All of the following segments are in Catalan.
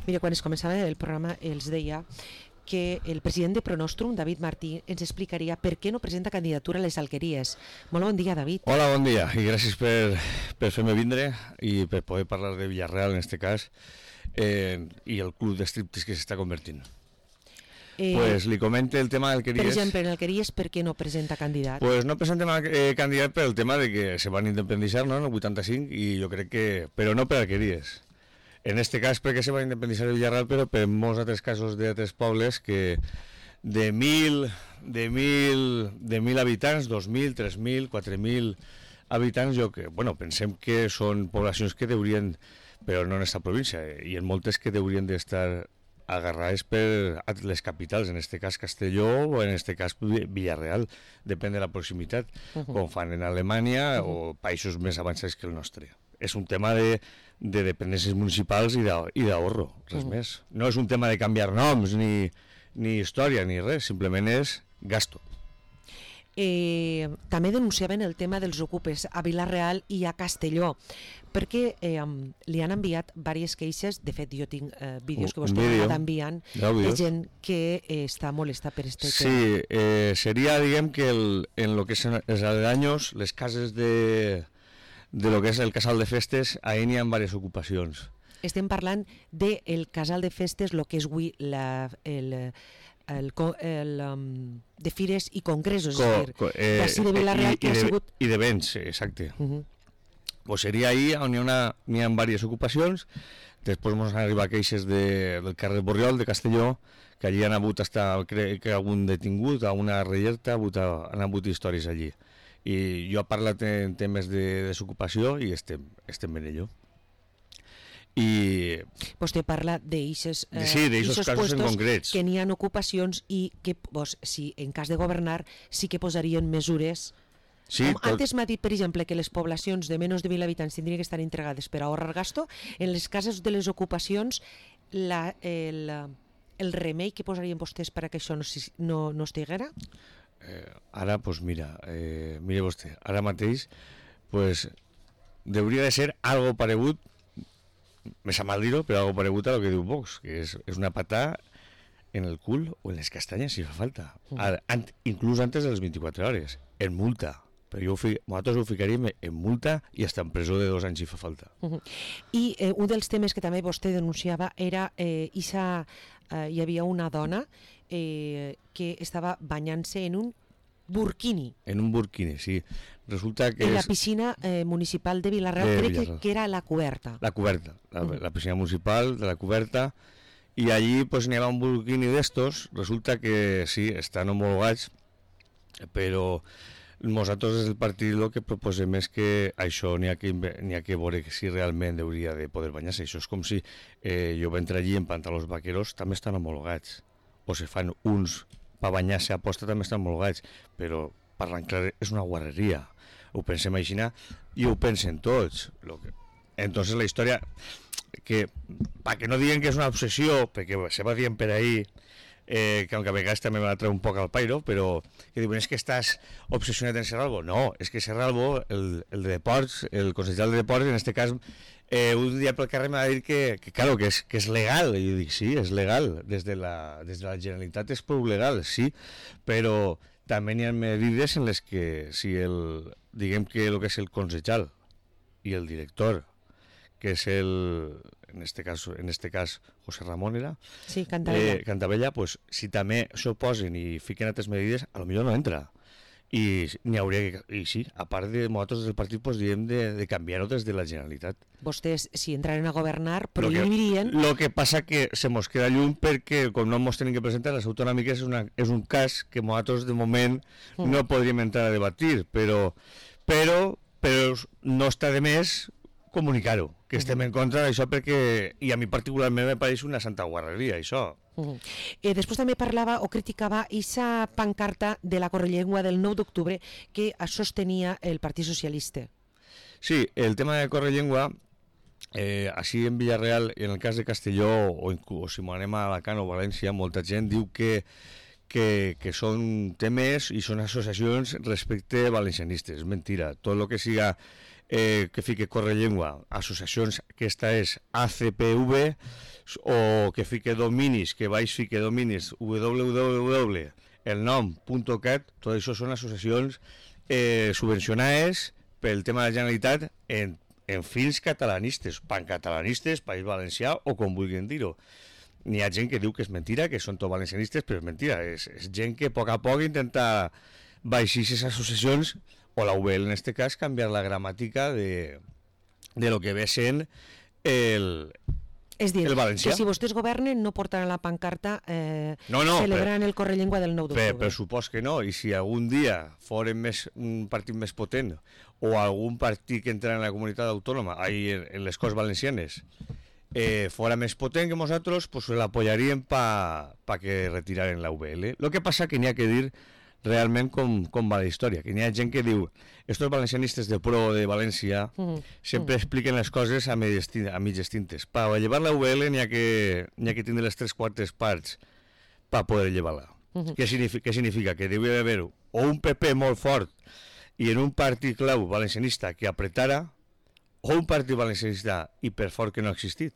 Mira, quan es començava el programa els deia que el president de Pronostrum, David Martí, ens explicaria per què no presenta candidatura a les Alqueries. Molt bon dia, David. Hola, bon dia, i gràcies per fer-me vindre i per poder parlar de Villarreal, en este cas, i el club de striptease que s'està convertint. Pues li comente el tema d'Alqueries. Per exemple, en Alqueries, per què no presenta candidat? Pues no presentem candidat per el tema de que se van independitzar, no?, en el 85, i jo crec que... però no per Alqueries. En este cas perquè se va independitzar el Villarreal, però per molts altres casos d'altres pobles que de 1.000 habitants, 2.000, 3.000, 4.000 habitants, pensem que són poblacions que deurien, però no en aquesta província, i en moltes que deurien d'estar agarrades per les capitals, en este cas Castelló o en este cas Villarreal, depèn de la proximitat, com fan en Alemanya o països més avançats que el nostre. És un tema de dependències municipals i d'ahorro, res més. No és un tema de canviar noms, ni història, ni res, simplement és gasto. També denunciaven el tema dels ocupes a Vila-real i a Castelló, perquè li han enviat diverses queixes. De fet, jo tinc vídeos que vostè m'ha anat enviant de gent que està molesta per este tema. Sí, seria, diguem, que en lo que és els aledaños, les cases de lo que és el casal de festes, ahí n'hi ha diverses ocupacions. Estem parlant del casal de festes, el que és avui de fires i congressos, d'ací de Vila-real, que ha sigut... I de béns, exacte. Pues seria ahí on n'hi ha diverses ocupacions. Després ens han arribat queixes del carrer Borriol de Castelló, que allí han hagut crec, algun detingut, a una rellerta, han hagut històries allí. I jo he parlat en temes de desocupació i estem en ello. I vostè parla d'eixos casos en concrets que n'hi ha ocupacions i que si en cas de governar sí que posarien mesures. Antes m'ha dit, per exemple, que les poblacions de menys de 1.000 habitants tindrien que estar entregades per ahorrar gasto. En les cases de les ocupacions el remei que posarien vostès perquè això no estiguera? Ara, doncs mira vostè, ara mateix hauria de ser algo paregut, me sap mal dir-ho, però algo paregut a lo que diu Vox, que és una patà en el cul o en les castanyes si fa falta, inclús antes de les 24 hores, en multa. Però nosaltres ho ficaríem en multa i està en presó de 2 anys si fa falta. I un dels temes que també vostè denunciava era hi havia una dona que estava banyant-se en un burkini. En un burkini, sí. Resulta que en la piscina municipal de Vila-real, crec que era la coberta. La coberta, la piscina municipal de la coberta, i allí n'hi havia un burkini d'estos. Resulta que sí, estan homologats, però nosaltres des del partit el que proposem és que això n'hi ha que veure si realment hauria de poder banyar-se. Això és com si jo vaig entrar allí en pantalons vaqueros, també estan homologats, o se fan uns per banyar-se a posta, també estan homologats, però parlant clar és una guarreria. Ho pensem així i ho pensen tots. Entonces la història, que perquè no diguen que és una obsessió, perquè se va dient per ahí, que aunque a vegades també va treure un poc al pairo, però que diuen, és que estàs obsessionat en Serralbo. No, és que Serralbo, el de deports, el consellal de deports, en este cas, un dia pel carrer m'ha dit que és legal. I jo dic, sí, és legal, des de la Generalitat és prou legal, sí, però també n'hi ha medides en les que si diguem que el que és el consellal i el director, que és en este cas José Ramón era, sí, Cantavella, pues si també s'oposen i fiquen altres medides, a lo millor no entra. I n'hi hauria i sí, a part de nosaltres del partit diem de canviar-ho des de la Generalitat. Vostès, si entraren a governar, prohibirien... Lo que passa que se mos queda lluny perquè, com no mos tenen que presentar, les autonòmiques és un cas que nosaltres de moment no podríem entrar a debatir, però no està de més comunicar-ho, que estem en contra d'això, perquè, i a mi particularment me pareix una santa guarreria, això. Després també parlava o criticava aquesta pancarta de la Correllengua del 9 d'octubre que sostenia el Partit Socialista. Sí, el tema de Correllengua, així en Villarreal, en el cas de Castelló, o si anem a Alacant o València, molta gent diu que són temes i són associacions respecte valencianistes. És mentira. Tot el que siga que fique Correllengua, associacions, aquesta és ACPV, o que fique dominis, que baix fique dominis www.elnom.cat, tot això són associacions subvencionades pel tema de la Generalitat en fins catalanistes, pancatalanistes, País Valencià o com vulguin dir-ho. N'hi ha gent que diu que és mentira, que són tot valencianistes, però és mentira, és gent que a poc intenta baixar aquestes associacions, o la UBL en aquest cas, canviar la gramàtica de lo que ve sent el valencià. Que si vostès governen no portaran la pancarta celebrant el Correllengua del 9 d'octubre. Per supòs que no, i si algun dia foren un partit més potent o algun partit que entra en la comunitat autònoma, en les Corts Valencianes, fora més potent que nosaltres, pues l'apoyaríem pa que retiraren la UBL. Lo que passa que n'hi ha que dir realment com va la història, que n'hi ha gent que diu estos valencianistes de pro de València sempre expliquen les coses a mitges tintes. Per llevar la UBL n'hi ha que tindre les 3/4 parts per poder llevar-la. Què significa? Que deu haver o un PP molt fort i en un partit clau valencianista que apretara, o un partit valencianista hiperfort que no ha existit.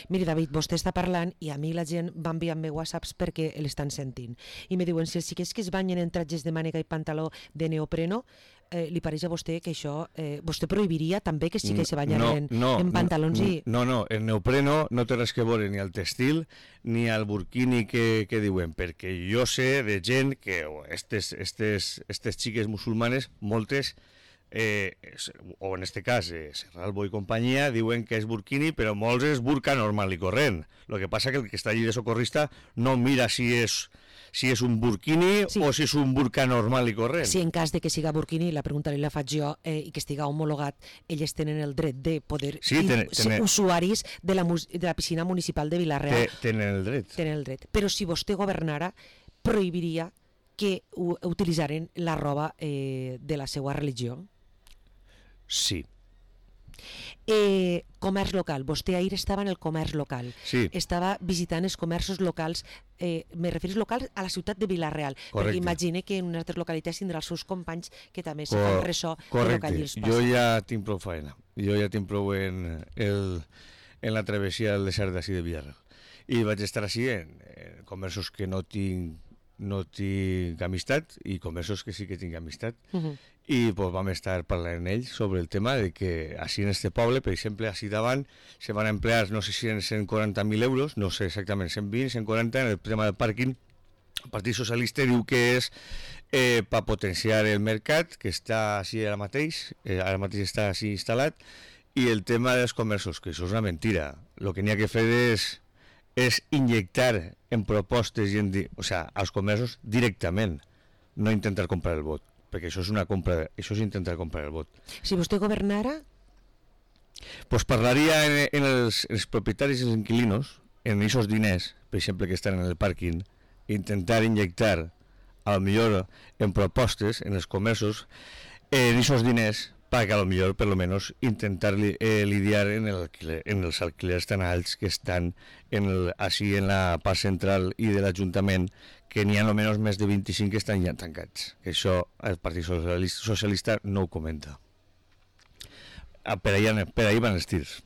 Miri, David, vostè està parlant i a mi la gent va enviant-me whatsapps perquè l'estan sentint. I me diuen, si els xiquets que es banyen en tratges de mànega i pantaló de neopreno, li pareix a vostè que això... vostè prohibiria també que els xiquets se banyen en pantalons i... No, el neopreno no té res que veure ni al textil ni al burkini que diuen, perquè jo sé de gent que estes xiques musulmanes, moltes, o en este cas Serralbo i companyia, diuen que és burkini, però molts és burka normal i corrent. El que passa que el que està allí de socorrista no mira si és un burkini o si és un burka normal i corrent. Si en cas de que siga burkini, la pregunta li la faig jo, i que estiga homologat, elles tenen el dret de poder ser usuaris de la piscina municipal de Vila-real. Tenen el dret. Tenen el dret. Però si vostè governara, prohibiria que utilitzaren la roba de la seva religió? Sí. Comerç local. Vostè ahir estava en el comerç local. Sí. Estava visitant els comerços locals, me referís locals a la ciutat de Vila-real. Correcte. Perquè imagine que en altres localitats tindrà els seus companys que també se fan ressò de lo que allí els passa. Jo ja tinc prou feina. Jo ja tinc prou en la travessia del desert d'ací de Vila-real. I vaig estar així en comerços que no tinc amistat i comerços que sí que tinc amistat. I pues, vam estar parlant amb ells sobre el tema de que així en este poble, per exemple, així davant se van emplear, no sé si en 140.000 euros, no sé exactament, 120, 140 en el tema del pàrquing. El Partit Socialista diu que és per potenciar el mercat, que està així ara mateix està així instal·lat, i el tema dels comerços, que això és una mentira. El que n'hi ha que fer és injectar en propostes als comerços directament, no intentar comprar el vot, perquè això és això és intentar comprar el vot. Si vostè governara? Pues parlaria en els propietaris i els inquilinos, en aquests diners, per exemple, que estan en el pàrquing, intentar injectar, a lo millor, en propostes, en els comerços, en aquests diners, perquè a lo millor, per lo menos, intentar lidiar en els alquilers tan alts que estan així en la part central i de l'Ajuntament, que n'hi ha almenys més de 25 que estan ja tancats. Això el Partit Socialista no ho comenta. Per ahí van els tirs.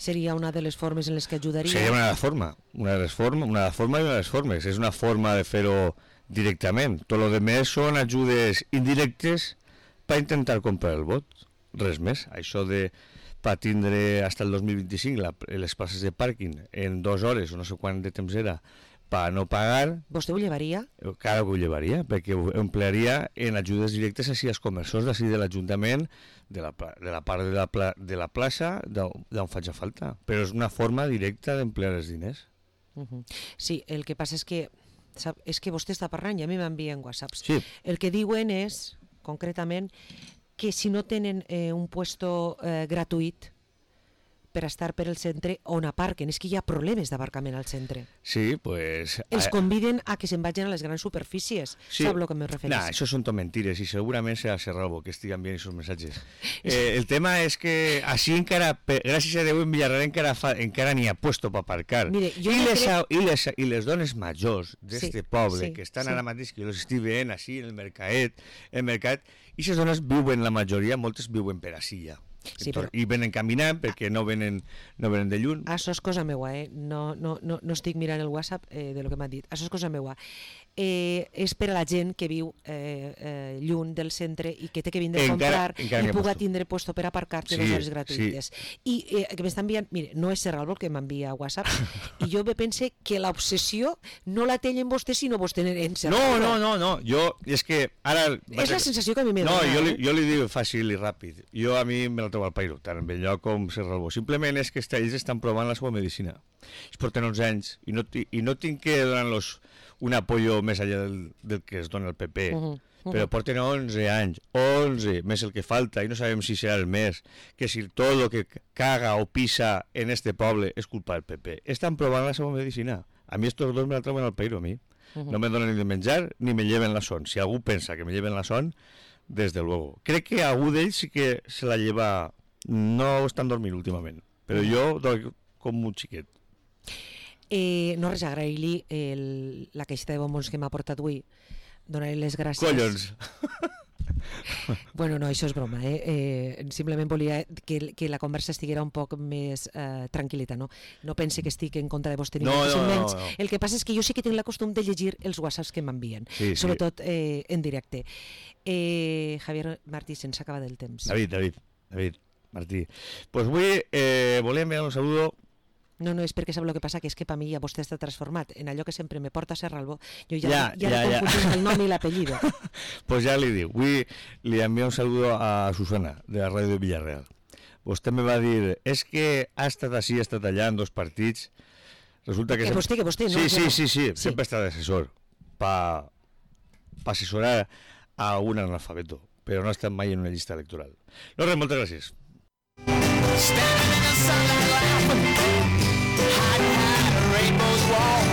Seria una de les formes en les que ajudaria? Seria una forma i una de les formes. És una forma de fer-ho directament. Tot el que són ajudes indirectes per intentar comprar el vot. Res més. Això de per tindre fins al 2025 les places de pàrquing en 2 hores o no sé quant de temps era per no pagar... Vostè ho llevaria? Clar que ho llevaria, perquè ho emplearia en ajudes directes així als comerços d'ací de l'Ajuntament, de la part de la plaça, d'on faig falta. Però és una forma directa d'emplear els diners. Sí, el que passa és que vostè està parlant i a mi m'envien whatsapps. Sí. El que diuen és, concretament, que si no tenen un puesto gratuït per estar per el centre on aparquen. És que hi ha problemes d'aparcament al centre. Sí, pues... Els conviden a que se'n vagin a les grans superfícies. Sí. Sap el que me referís? No, això són tot mentires i segurament serà Serralbo que estiguen enviant aquests missatges. El tema és que així encara, gràcies a Déu, en Villarreal encara n'hi ha puesto per aparcar. Mire, I les dones majors d'este poble que estan ara mateix, que jo les estic veient així en el mercat, I les dones viuen, la majoria, moltes viuen per ací ja. Sí, però... I venen caminant perquè no venen de lluny. Això és cosa meua, no estic mirant el WhatsApp de lo que m'ha dit. Això és cosa meua. És per a la gent que viu lluny del centre i que té que vindre a comprar i puga tindre puesto per aparcar-te 2 hores gratuïtes. I que m'està enviant, mire, no és Serralvo el que m'envia a WhatsApp, i jo pense que l'obsessió no la tenen vostès sinó vostè en Serralvo. No, jo, és que ara... És la sensació que a mi m'he donat. No, jo li dic fàcil i ràpid. Jo a mi me la trobo al pairo, tant en Belllloc com Serralvo. Simplement és que ells estan provant la seva medicina. Ells porten 11 anys i no tinc que donar-los un apoyo més allà del que es dona el PP, però porten 11 anys, 11, més el que falta, i no sabem si serà el més, que si tot el que caga o pisa en este poble és culpa del PP. Estan provant la seva medicina. A mi estos dos me la troben al pairo, a mi. No me donen ni de menjar ni me lleven la son. Si algú pensa que me lleven la son, desde luego. Crec que algú d'ells sí que se la lleva... No estan dormint últimament, però jo doy com un xiquet. No res, agrair-li la caixeta de bombons que m'ha portat avui, donar-li les gràcies. Collons! Bueno, no, això és broma, simplement volia que la conversa estiguera un poc més tranquil·leta, no? No pense que estic en contra de vostè ni menys. El que passa és que jo sí que tinc la costum de llegir els whatsapps que m'envien, sobretot en directe. Javier Martí, se'ns acaba del temps. David Martí. Pues avui volia enviar un saludo. No, és perquè sap el que passa, que és que per mi ja vostè està transformat en allò que sempre me porta a Serralvo. Jo ja li confundís el nom i l'apellido. Pues ja li dic, avui li envio un saludo a Susana, de la ràdio de Villarreal. Vostè me va dir, és que ha estat així, ha estat allà en 2 partits. Resulta que vostè, no? Sí, sempre està d'assessor per assessorar a un analfabeto, però no ha estat mai en una llista electoral. No res, moltes gràcies. Standing in the sunlight laughing, hiding behind a rainbow's wall.